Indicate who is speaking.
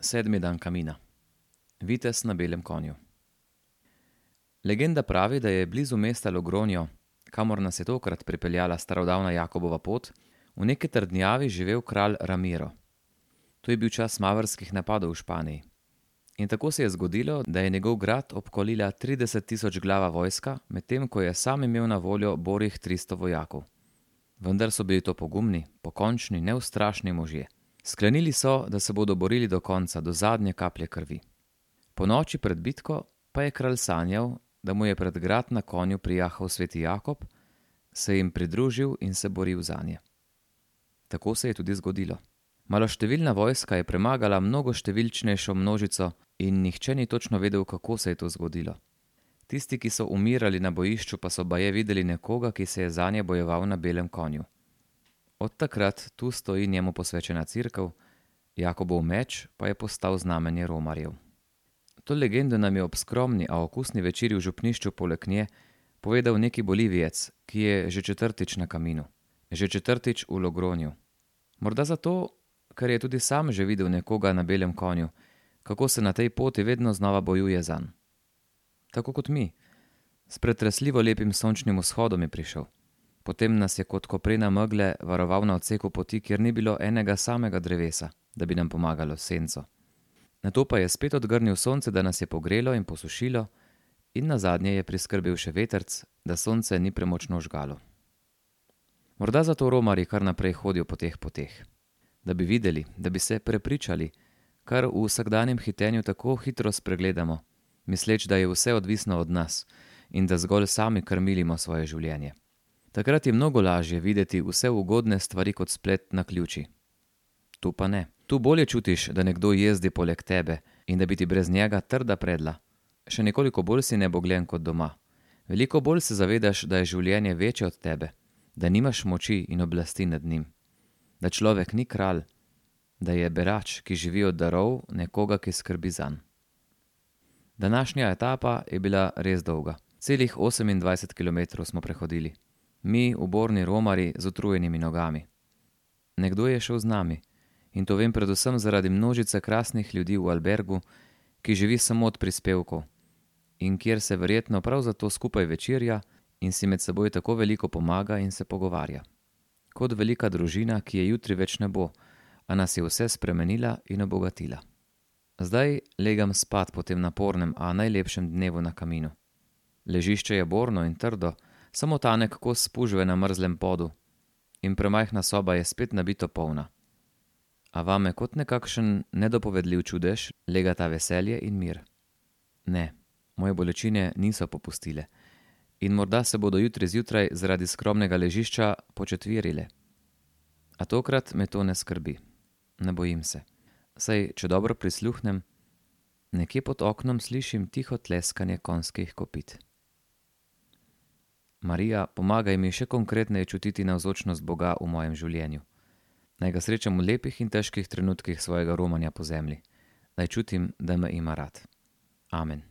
Speaker 1: Sedmi dan kamina. Vitez na belem konju. Legenda pravi, da je blizu mesta Logronjo, kamor nas je tokrat pripeljala starodavna Jakobova pot, v neki trdnjavi živel kralj Ramiro. To je bil čas mavrskih napadov v Španiji. In tako se je zgodilo, da je njegov grad obkolila 30.000 glava vojska, medtem ko je sam imel na voljo borih 300 vojakov. Vendar so bili to pogumni, pokončni, neustrašni možje. Sklenili so, da se bodo borili do konca, do zadnje kaplje krvi. Po noči pred bitko pa je kralj sanjal, da mu je pred grad na konju prijahal sveti Jakob, se jim pridružil in se boril zanje. Tako se je tudi zgodilo. Maloštevilna vojska je premagala mnogo številčnejšo množico in nihče ni točno vedel, kako se je to zgodilo. Tisti, ki so umirali na bojišču, pa so baje videli nekoga, ki se je zanje bojeval na belem konju. Od takrat tu stoji njemu posvečena cerkev, Jakobov meč pa je postal znamenje romarjev. To legendo nam je ob skromni, a okusni večerji v župnišču poleg nje povedal neki Bolivijec, ki je že 4. na kaminu, že 4. v Logronju. Morda zato, ker je tudi sam že videl nekoga na belem konju, kako se na tej poti vedno znova bojuje zanj. Tako kot mi, s pretresljivo lepim sončnim vzhodom je prišel. Potem nas je kot koprena megle varoval na odseku poti, kjer ni bilo enega samega drevesa, da bi nam pomagalo s senco. Nato pa je spet odgrnil sonce, da nas je pogrelo in posušilo, in nazadnje je priskrbel še vetrc, da sonce ni premočno žgalo. Morda zato romarji kar naprej hodijo po teh poteh. Da bi videli, da bi se prepričali, kar v vsakdanjem hitenju tako hitro spregledamo, misleč, da je vse odvisno od nas in da zgolj sami krmilimo svoje življenje. Takrat je mnogo lažje videti vse ugodne stvari kot splet naključij. Tu pa ne. Tu bolje čutiš, da nekdo jezdi poleg tebe in da bi ti brez njega trda predla. Še nekoliko bolj si nebogljen kot doma. Veliko bolj se zavedaš, da je življenje večje od tebe, da nimaš moči in oblasti nad njim. Da človek ni kralj, da je berač, ki živi od darov nekoga, ki skrbi zanj. Današnja etapa je bila res dolga. Celih 28 kilometrov smo prehodili. Mi, uborni romarji z utrujenimi nogami. Nekdo je šel z nami. In to vem predvsem zaradi množice krasnih ljudi v albergu, ki živi samo od prispevkov in kjer se verjetno prav zato skupaj večerja in si med seboj tako veliko pomaga in se pogovarja. Kot velika družina, ki je jutri več ne bo, a nas je vse spremenila in obogatila. Zdaj legam spat po tem napornem, a najlepšem dnevu na kaminu. Ležišče je borno in trdo, samo tanek kos spužve na mrzlem podu in premajhna soba je spet nabito polna. A vame kot nekakšen nedopovedljiv čudež legata veselje in mir. Ne, moje bolečine niso popustile in morda se bodo jutri zjutraj zaradi skromnega ležišča početvirile. A tokrat me to ne skrbi. Ne bojim se. Saj, če dobro prisluhnem, nekje pod oknom slišim tiho tleskanje konjskih kopit. Marija, pomagaj mi še konkretneje čutiti navzočnost Boga v mojem življenju. Naj ga srečam v lepih in težkih trenutkih svojega romanja po zemlji. Naj čutim, da me ima rad. Amen.